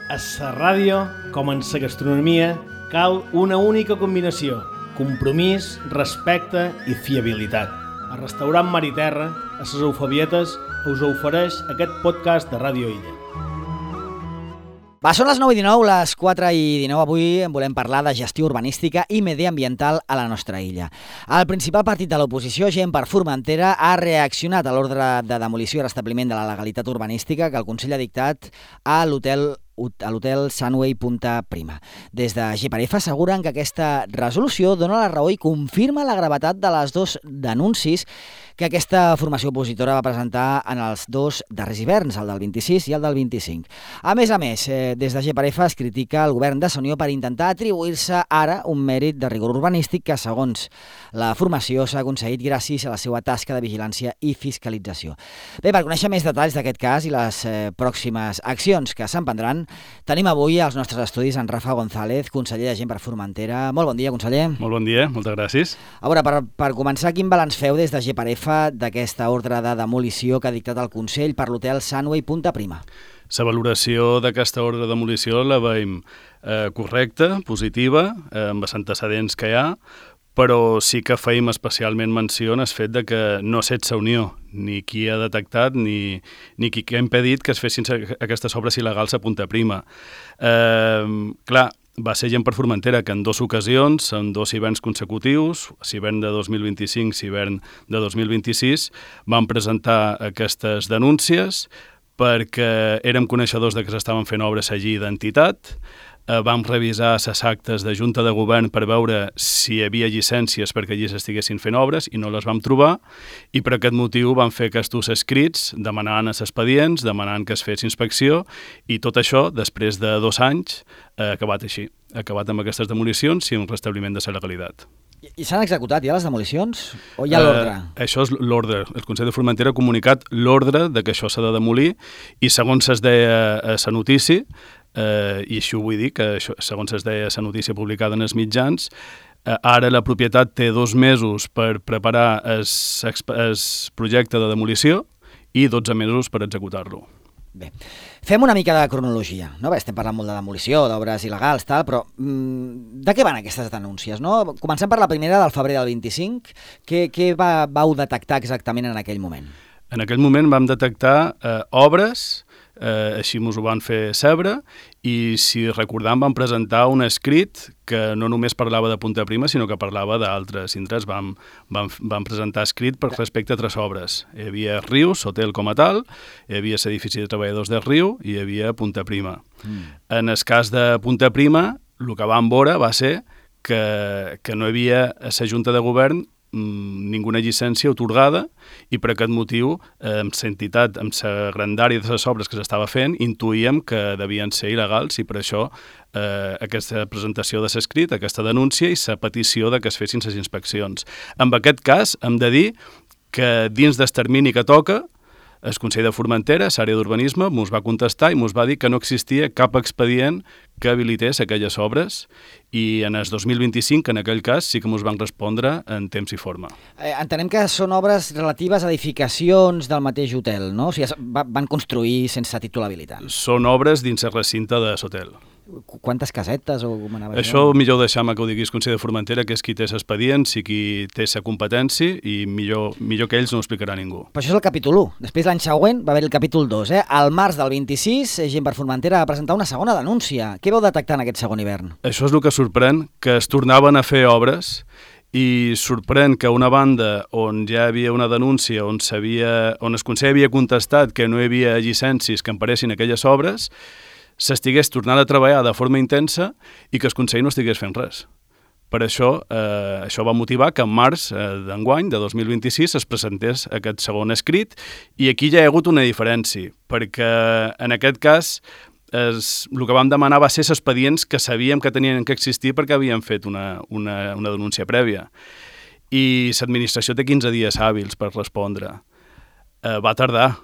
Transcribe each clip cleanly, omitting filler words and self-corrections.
A la ràdio, com en la gastronomia, cal una única combinació: compromís, respecte i fiabilitat. El restaurant Mar i Terra, a les Eufebietes, us ofereix aquest podcast de Ràdio Illa. Va, són les 9:19, les 4:19. Avui en volem parlar de gestió urbanística i mediambiental a la nostra illa. El principal partit de l'oposició, Gent per Formentera, ha reaccionat a l'ordre de demolició i restabliment de la legalitat urbanística que el Consell ha dictat a l'hotel Sunway Punta Prima. Des de GPRF asseguren que aquesta resolució dona la raó i confirma la gravetat de les dos denuncis que aquesta formació opositora va presentar en els dos darrers hiverns, el del 26 i el del 25. A més, des de GPRF es critica el govern de Sonió per intentar atribuir-se ara un mèrit de rigor urbanístic que, segons la formació, s'ha aconseguit gràcies a la seva tasca de vigilància i fiscalització. Bé, per conèixer més detalls d'aquest cas i les pròximes accions que s'emprendran, tenim avui als nostres estudis en Rafa González, conseller de Gent per Formentera. Molt bon dia, conseller. Molt bon dia, moltes gràcies. A veure, per començar, quin balanç feu des de GPRF d'aquesta ordre de demolició que ha dictat el Consell per l'hotel Sunway Punta Prima? La valoració d'aquesta ordre de demolició la veiem correcta, positiva, amb els antecedents que hi ha, però sí que feim especialment menció en el fet de que no ha estat la Unió, ni qui ha detectat ni qui ha impedit que es fessin aquestes obres il·legals a Punta Prima. Clar, va ser Gent per Formentera que en dues ocasions, en dos hiverns consecutius, l'hivern de 2025 i l'hivern de 2026, van presentar aquestes denúncies perquè érem coneixedors de que s'estaven fent obres allí d'entitat. Vam revisar les actes de Junta de Govern per veure si hi havia llicències perquè allí s'estiguessin fent obres i no les vam trobar, i per aquest motiu vam fer aquests escrits demanant els expedients, demanant que es fes inspecció, i tot això, després de 2 anys, ha acabat així. Ha acabat amb aquestes demolicions i un restabliment de la legalitat. I s'han executat ja les demolicions? O hi ha l'ordre? Això és l'ordre. El Consell de Formentera ha comunicat l'ordre de que això s'ha de demolir, i segons es deia a la notícia, i això ho vull dir, que això, segons es deia la notícia publicada en els mitjans, ara la propietat té 2 mesos per preparar el projecte de demolició i 12 mesos per executar-lo. Bé, fem una mica de cronologia, no? Bé, estem parlant molt de demolició, d'obres il·legals, tal, però de què van aquestes denúncies, no? Comencem per la primera del febrer del 25. Què vau detectar exactament en aquell moment? En aquell moment vam detectar obres, així ens ho van fer saber, i si recordam vam presentar un escrit que no només parlava de Punta Prima, sinó que parlava d'altres indrets. Vam presentar escrit per respecte a 3 obres. Hi havia Rius, hotel com a tal, hi havia l'edifici de treballadors de Riu i hi havia Punta Prima. En el cas de Punta Prima, el que vam veure va ser que no hi havia a la Junta de Govern ninguna llicència atorgada, i per aquest motiu, amb l'entitat, amb la grandària de les obres que s'estava fent, intuïem que devien ser il·legals, i per això aquesta presentació de l'escrit, aquesta denúncia i la petició de que es fessin les inspeccions. En aquest cas, hem de dir que dins del termini que toca, el Consell de Formentera, l'àrea d'urbanisme, ens va contestar i ens va dir que no existia cap expedient que habilités aquelles obres, i en el 2025, en aquell cas, sí que ens van respondre en temps i forma. Entenem que són obres relatives a edificacions del mateix hotel, no? O sigui, van construir sense títol habilitant. Són obres dins el recinte de l'hotel. Quantes casetes o com anava això? Millor deixar-me que ho diguis Consell de Formentera, que és qui té l'expedients i qui té la competència, i millor que ells no ho explicarà ningú. Però això és el capítol 1. Després, l'any següent, va haver el capítol 2. Al març del 26, Gent per Formentera va presentar una segona denúncia. Què vau detectar en aquest segon hivern? Això és el que sorprèn, que es tornaven a fer obres, i sorprèn que una banda on ja hi havia una denúncia, on el Consell havia contestat que no hi havia llicències que emparessin aquelles obres, s'estigués tornant a treballar de forma intensa i que el Consell no estigués fent res. Per això, això va motivar que en març d'enguany, de 2026, es presentés aquest segon escrit, i aquí ja hi ha hagut una diferència, perquè en aquest cas el que vam demanar va ser els expedients que sabíem que tenien que existir perquè havien fet una denúncia prèvia. I l'administració té 15 dies hàbils per respondre. Va tardar,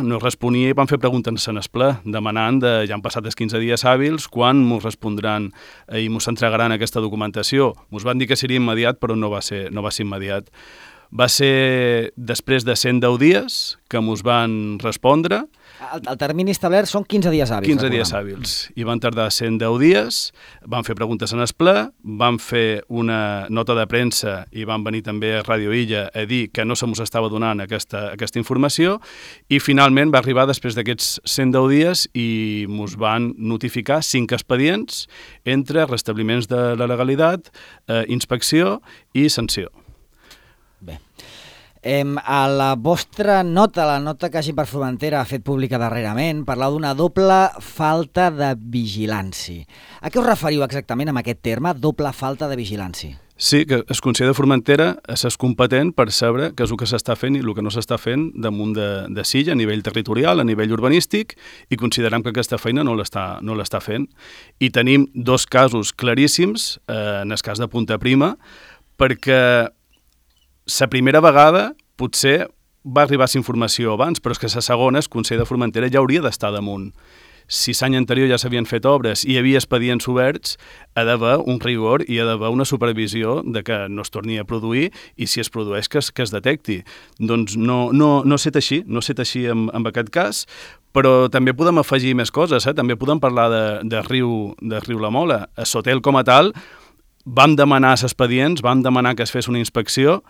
no responia, i van fer preguntes en el ple, demanant, ja han passat els 15 dies hàbils, quan ens respondran i ens entregaran aquesta documentació. Ens van dir que seria immediat, però no va ser immediat. Va ser després de 110 dies que mos van respondre. El termini establert són 15 dies hàbils. 15 dies hàbils. I van tardar 110 dies, van fer preguntes en el ple, van fer una nota de premsa i van venir també a Ràdio Illa a dir que no se mos estava donant aquesta informació i finalment va arribar després d'aquests 110 dies i mos van notificar 5 expedients entre restabliments de la legalitat, inspecció i sanció. Bé. A la vostra nota, la nota que Gent per Formentera ha fet pública darrerament, parlau d'una doble falta de vigilància. A què us referiu exactament amb aquest terme, doble falta de vigilància? Sí, que el Consell de Formentera és competent per saber què és el que s'està fent i el que no s'està fent damunt de Silla a nivell territorial, a nivell urbanístic, i considerem que aquesta feina no l'està fent. I tenim 2 casos claríssims, en el cas de Punta Prima, perquè la primera vegada potser va arribar la informació abans, però és que la segona, el Consell de Formentera ja hauria d'estar damunt. Si l'any anterior ja s'havien fet obres i hi havia expedients oberts, ha d'haver un rigor i ha d'haver una supervisió de que no es torni a produir i si es produeix que es detecti. Doncs no ha estat així, amb aquest cas, però també podem afegir més coses, també podem parlar de Riu la Mola. A Sotel com a tal vam demanar els expedients, vam demanar que es fes una inspecció.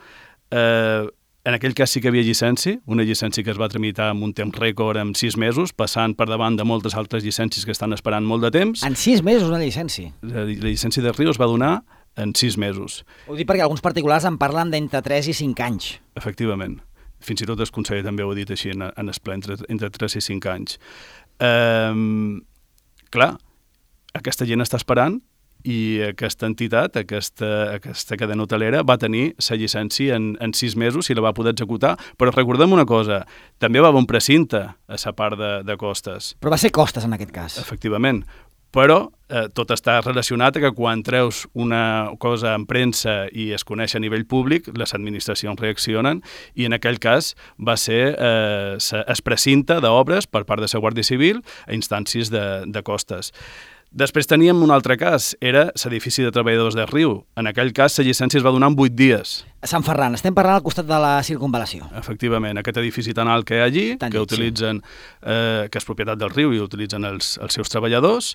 En aquell cas sí que hi havia llicència, una llicència que es va tramitar amb un temps rècord en 6 mesos, passant per davant de moltes altres llicències que estan esperant molt de temps. En 6 mesos una llicència? La llicència de Riu es va donar en 6 mesos. Ho dic perquè alguns particulars en parlen d'entre 3 i 5 anys. Efectivament. Fins i tot el conseller també ho ha dit així en el ple, entre 3 i 5 anys. Clar, aquesta gent està esperant i aquesta entitat, aquesta cadena hotelera, va tenir la llicència en 6 mesos i la va poder executar. Però recordem una cosa, també va haver un precinte a la part de costes. Però va ser costes en aquest cas. Efectivament. Però tot està relacionat a que quan treus una cosa en premsa i es coneix a nivell públic, les administracions reaccionen i en aquell cas va ser el precinte d'obres per part de la Guàrdia Civil a instàncies de costes. Després teníem un altre cas, era l'edifici de treballadors de Riu. En aquell cas, la llicència es va donar en 8 dies. Sant Ferran, estem parlant al costat de la circunvalació. Efectivament, aquest edifici tan alt que hi ha allí, que utilitzen, que és propietat del Riu i utilitzen els seus treballadors,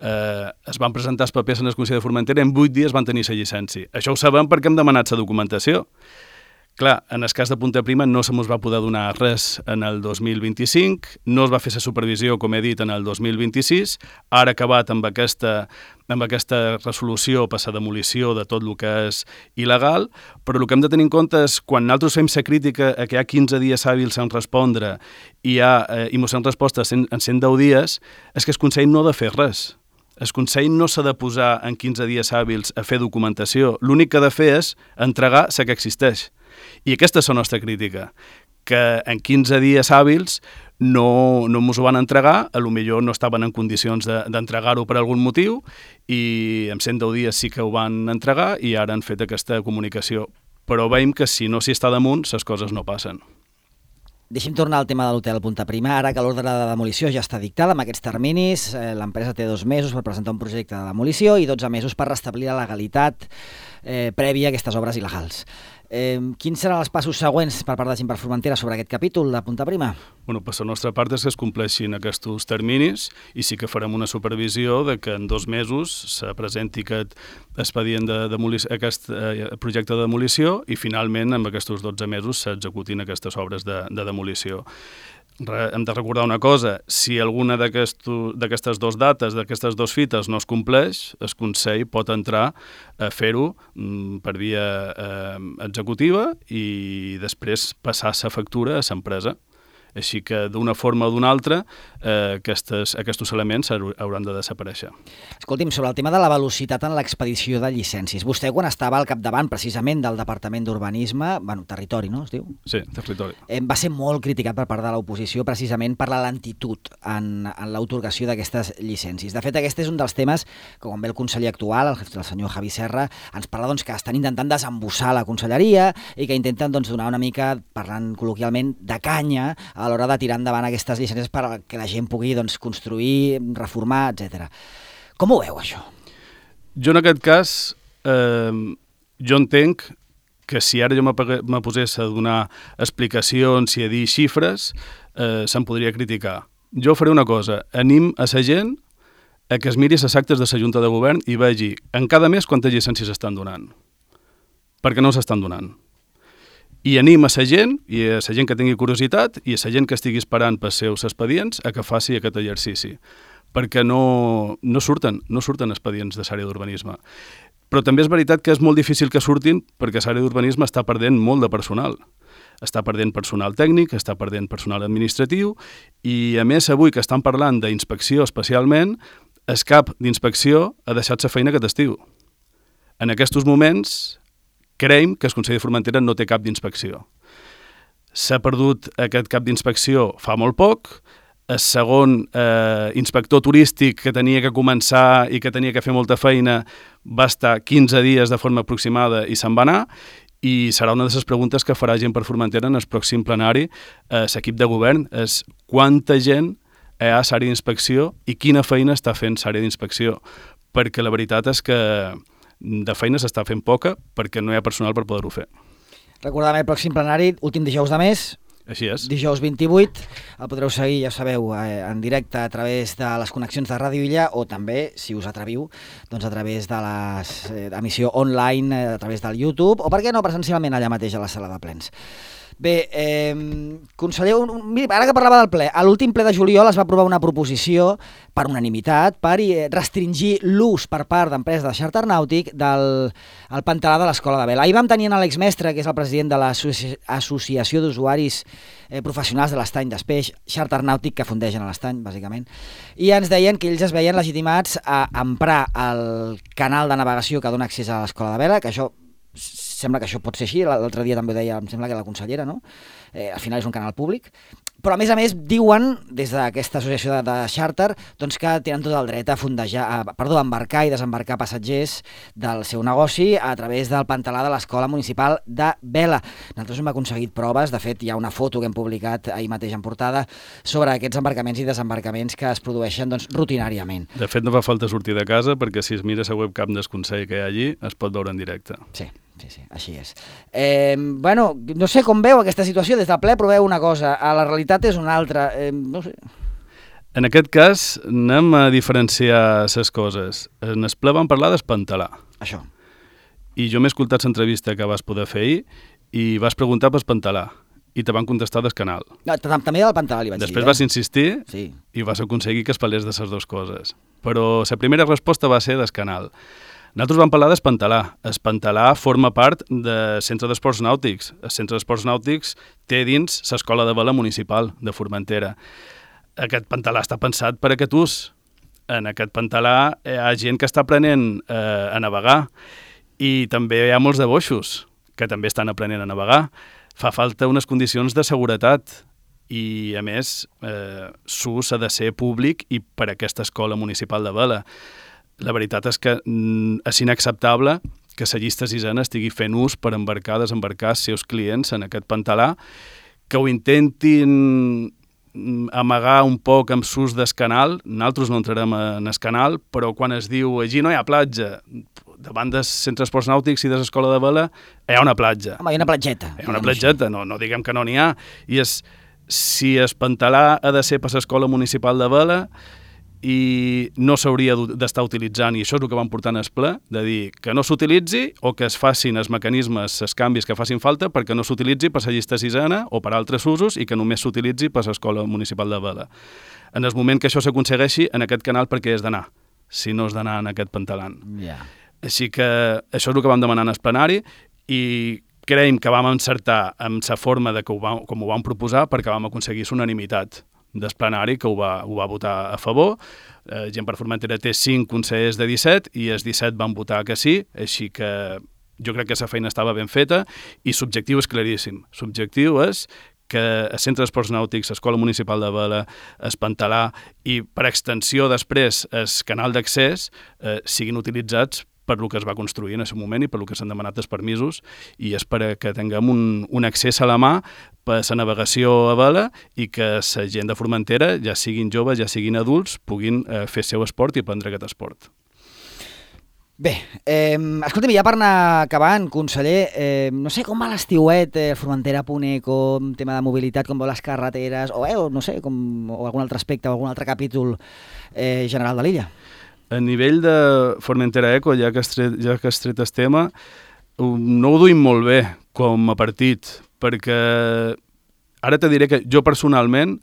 es van presentar els papers en el Consell de Formentera i en 8 dies van tenir la llicència. Això ho sabem perquè hem demanat la documentació. Clar, en el cas de Punta Prima no se mos va poder donar res en el 2025, no es va fer la supervisió, com he dit, en el 2026, ara acabat amb aquesta resolució per la demolició de tot el que és il·legal, però el que hem de tenir en compte és quan nosaltres fem la crítica a que hi ha 15 dies hàbils en respondre i mos han respost en 110 dies, és que el Consell no ha de fer res. El Consell no s'ha de posar en 15 dies hàbils a fer documentació. L'únic que ha de fer és entregar la que existeix. I aquesta és la nostra crítica, que en 15 dies hàbils no ens ho van entregar, potser no estaven en condicions d'entregar-ho per algun motiu i en 110 dies sí que ho van entregar i ara han fet aquesta comunicació. Però veiem que si no s'hi està damunt, les coses no passen. Deixem tornar al tema de l'hotel Punta Prima. Ara que l'ordre de demolició ja està dictada amb aquests terminis, l'empresa té 2 mesos per presentar un projecte de demolició i 12 mesos per restablir la legalitat prèvia a aquestes obres il·legals. Quins seran els passos següents per part de Gent per Formentera sobre aquest capítol de Punta Prima? Bueno, per la nostra part és que es compleixin aquests terminis i sí que farem una supervisió de que en 2 mesos se presenti aquest expedient aquest projecte de demolició i finalment amb aquests 12 mesos s'executin aquestes obres de demolició. Hem de recordar una cosa, si alguna d'aquestes 2 dates, d'aquestes 2 fites no es compleix, el Consell pot entrar a fer-ho per via executiva i després passar la factura a l'empresa. Així que d'una forma o d'una altra aquests elements hauran de desaparèixer. Escolti'm, sobre el tema de la velocitat en l'expedició de llicències, vostè quan estava al capdavant precisament del Departament d'Urbanisme, territori, no es diu? Sí, territori. Va ser molt criticat per part de l'oposició precisament per la lentitud en l'atorgació d'aquestes llicències. De fet, aquest és un dels temes que quan ve el conseller actual, el senyor Javi Serra, ens parla que estan intentant desembussar la conselleria i que intenten donar una mica, parlant col·loquialment, de canya a l'hora de tirar endavant aquestes llicències perquè la gent pugui construir, reformar, etc. Com ho veu, això? Jo en aquest cas, jo entenc que si ara jo me posés a donar explicacions i a dir xifres, se'm podria criticar. Jo faré una cosa, anim a la gent a que es miri les actes de la Junta de Govern i vegi en cada mes quantes llicències s'estan donant. Perquè no s'estan donant. I anima a la gent, i a la gent que tingui curiositat, i a la gent que estigui esperant pels seus expedients, a que faci aquest exercici. Perquè no surten expedients de l'àrea d'urbanisme. Però també és veritat que és molt difícil que surtin perquè l'àrea d'urbanisme està perdent molt de personal. Està perdent personal tècnic, està perdent personal administratiu, i a més avui que estan parlant d'inspecció especialment, el cap d'inspecció ha deixat la feina aquest estiu. En aquests moments creiem que el Consell de Formentera no té cap d'inspecció. S'ha perdut aquest cap d'inspecció fa molt poc, el segon inspector turístic que tenia que començar i que tenia que fer molta feina va estar 15 dies de forma aproximada i se'n va anar, i serà una de les preguntes que farà Gent per Formentera en el pròxim plenari l'equip de govern, és quanta gent hi ha a l'àrea d'inspecció i quina feina està fent l'àrea d'inspecció, perquè la veritat és que de feina s'està fent poca perquè no hi ha personal per poder-ho fer. Recordem el pròxim plenari, últim dijous de mes, així és. Dijous 28, el podreu seguir, ja sabeu, en directe a través de les connexions de Ràdio Illa o també, si us atreviu, doncs a través de l'emissió online, a través del YouTube, o per què no presencialment allà mateix a la sala de plens. Bé, conseller, ara que parlava del ple, a l'últim ple de juliol es va aprovar una proposició per unanimitat per restringir l'ús per part d'empreses de xàrter nàutic del pantalà de l'Escola de Vela. Ahir vam tenir Àlex Mestre, que és el president de l'Associació d'Usuaris Professionals de l'Estany d'Espeix, xàrter nàutic que fundegen a l'Estany, bàsicament, i ens deien que ells es veien legitimats a emprar el canal de navegació que dona accés a l'Escola de Vela, que això sembla que això pot ser així, l'altre dia també ho deia, em sembla que la consellera, no? Al final és un canal públic, però a més diuen, des d'aquesta associació de xàrter, doncs que tenen tot el dret a embarcar i desembarcar passatgers del seu negoci a través del pantalà de l'Escola Municipal de Vela. Nosaltres hem aconseguit proves, de fet hi ha una foto que hem publicat ahir mateix en portada sobre aquests embarcaments i desembarcaments que es produeixen doncs, rutinàriament. De fet no fa falta sortir de casa perquè si es mira la webcam del Consell que hi ha allí es pot veure en directe. Sí, així és. Bueno, no sé com veu aquesta situació des del ple, però veu una cosa, la realitat és una altra, no sé. En aquest cas anem a diferenciar les coses. En el ple vam parlar d'espantalar. Això. I jo m'he escoltat l'entrevista que vas poder fer ahir i vas preguntar per espantalar i te van contestar del canal. No, també del pantalà li vaig dir. Després vas insistir sí. I vas aconseguir que es parlés de les dues coses. Però la primera resposta va ser del canal. Nosaltres vam parlar d'espantalar. Espantalar forma part del Centre d'Esports Nàutics. El Centre d'Esports Nàutics té dins l'Escola de Vela Municipal de Formentera. Aquest pantalà està pensat per aquest ús. En aquest pantalà hi ha gent que està aprenent a navegar i també hi ha molts de boixos que també estan aprenent a navegar. Fa falta unes condicions de seguretat i, a més, l'ús ha de ser públic i per aquesta Escola Municipal de Vela. La veritat és que és inacceptable que la llista sisena estigui fent ús per embarcar, desembarcar els seus clients en aquest pantalà, que ho intentin amagar un poc amb l'ús del canal. Nosaltres no entrarem en el canal, però quan es diu allí no hi ha platja, davant del Centre d'Esports Nàutics i de l'Escola de Vela hi ha una platja. Home, hi ha una platgeta. Hi ha una platgeta, no diguem que no n'hi ha. I si el pantalà ha de ser per l'Escola Municipal de Vela, i no s'hauria d'estar utilitzant, i això és el que vam portar en el ple, de dir que no s'utilitzi o que es facin els mecanismes, els canvis que facin falta perquè no s'utilitzi per la llista sisena o per altres usos i que només s'utilitzi per l'Escola Municipal de Vela. En el moment que això s'aconsegueixi, en aquest canal per què és d'anar, si no és d'anar en aquest pantalan. Yeah. Així que això és el que vam demanar en el plenari i creiem que vam encertar amb la forma de com ho vam proposar perquè vam aconseguir l'unanimitat del plenari que ho va votar a favor. Gent per Formentera té 5 consellers de 17 i els 17 van votar que sí, així que jo crec que la feina estava ben feta i l'objectiu és claríssim. L'objectiu és que el Centre d'Esports Nàutics, l'Escola Municipal de Vela, el pantalà i per extensió després el canal d'accés siguin utilitzats per el que es va construir en aquest moment i per el que s'han demanat els permisos i és per que tinguem un accés a la mà per la navegació a vela i que la gent de Formentera, ja siguin joves, ja siguin adults, puguin fer el seu esport i aprendre aquest esport. Bé, escolta'm, ja per anar acabant, conseller, no sé com va l'estiuet, Formentera.eco, tema de mobilitat, com veu les carreteres, o no sé, o algun altre aspecte, o algun altre capítol general de l'illa. A nivell de Formentera Eco, ja que has tret el tema, no ho duim molt bé com a partit, perquè ara te diré que jo personalment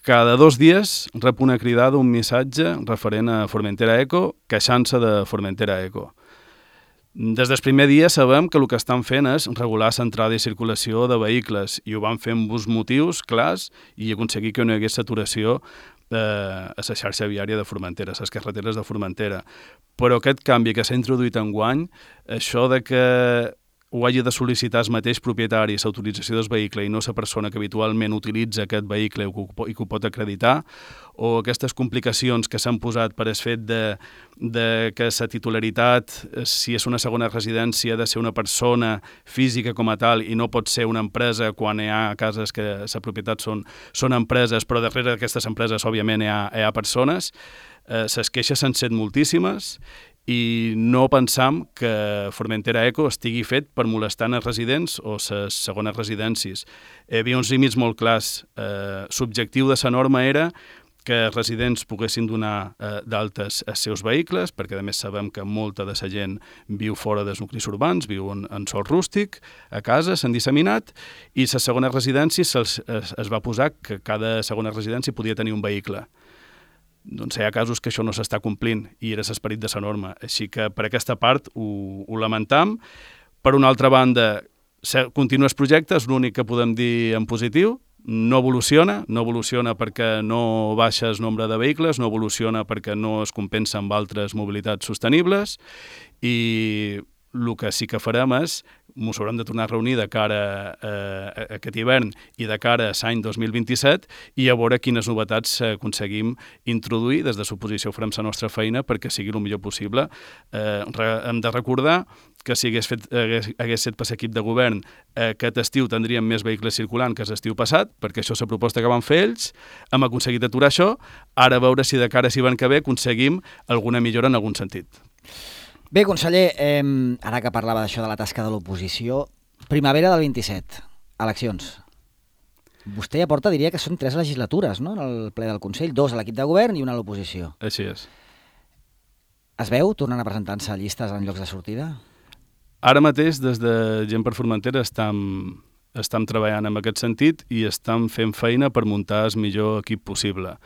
cada 2 dies rep una cridada, un missatge referent a Formentera Eco, queixant-se de Formentera Eco. Des del primer dia sabem que el que estan fent és regular l'entrada i circulació de vehicles i ho van fer amb uns motius clars i aconseguir que no hi hagués saturació a la xarxa viària de Formentera, a les carreteres de Formentera. Però aquest canvi que s'ha introduït enguany, això de que ho hagi de sol·licitar el mateix propietari l'autorització del vehicle i no la persona que habitualment utilitza aquest vehicle i que ho pot acreditar, o aquestes complicacions que s'han posat per el fet de que la titularitat, si és una segona residència, ha de ser una persona física com a tal i no pot ser una empresa quan hi ha cases que la propietat són empreses, però darrere d'aquestes empreses, òbviament, hi ha persones. Les queixes s'han set moltíssimes i no pensam que Formentera Eco estigui fet per molestar els residents o les segones residències. Hi havia uns límits molt clars. L'objectiu de la norma era que els residents poguessin donar d'altes els seus vehicles, perquè a més sabem que molta de la gent viu fora dels nuclis urbans, viu en sòl rústic, a casa, s'han disseminat, i les segones residències es va posar que cada segona residència podia tenir un vehicle. Doncs hi ha casos que això no s'està complint i era l'esperit de la norma. Així que per aquesta part ho lamentam. Per una altra banda, continua el projecte, és l'únic que podem dir en positiu. No evoluciona perquè no baixa el nombre de vehicles, no evoluciona perquè no es compensa amb altres mobilitats sostenibles i el que sí que farem és ens haurem de tornar a reunir de cara a aquest hivern i de cara a l'any 2027 i a veure quines novetats aconseguim introduir. Des de l'oposició farem la nostra feina perquè sigui el millor possible. Hem de recordar que si hagués set per l'equip de govern aquest estiu tindríem més vehicles circulant que l'estiu passat, perquè això és la proposta que van fer ells. Hem aconseguit aturar això. Ara a veure si de cara a l'hivern que ve aconseguim alguna millora en algun sentit. Bé, conseller, ara que parlava d'això de la tasca de l'oposició, primavera del 27, eleccions. Vostè ja porta, diria que són 3 legislatures, no?, en el ple del Consell, 2 a l'equip de govern i 1 a l'oposició. Així és. Es veu tornant a presentar-se a llistes en llocs de sortida? Ara mateix, des de Gent per Formentera, estem treballant en aquest sentit i estem fent feina per muntar el millor equip possible.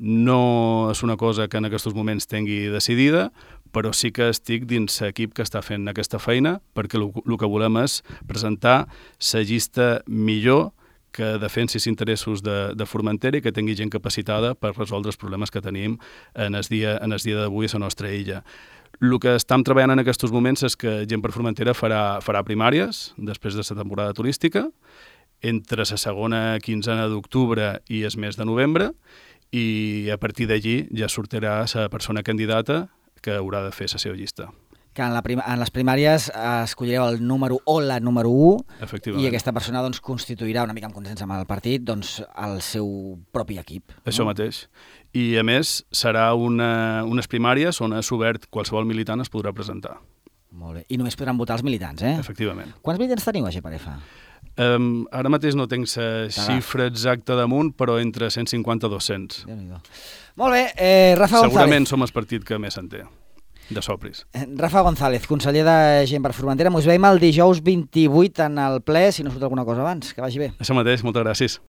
No és una cosa que en aquests moments tingui decidida, però sí que estic dins l'equip que està fent aquesta feina perquè el que volem és presentar la llista millor que defensi els interessos de Formentera i que tingui gent capacitada per resoldre els problemes que tenim en el dia d'avui a la nostra illa. El que estem treballant en aquests moments és que Gent per Formentera farà primàries després de la temporada turística entre la segona quinzena d'octubre i el mes de novembre i a partir d'allí ja sortirà la persona candidata que haurà de fer la seva llista. Que en les primàries escollireu el número o la número 1 i aquesta persona doncs, constituirà una mica en consens amb el partit doncs, el seu propi equip. Això mateix. I a més serà unes primàries on és obert qualsevol militant es podrà presentar. Molt bé. I només podran votar els militants, eh? Efectivament. Quants militants teniu a GPRF? Ara mateix no tinc la xifra exacta damunt, però entre 150 i 200. Molt bé, Rafa González. Segurament som el partit que més en té, de Sopris. Rafa González, conseller de Gent per Formentera. Ens veiem el dijous 28 en el ple, si no surt alguna cosa abans. Que vagi bé. Això mateix, moltes gràcies.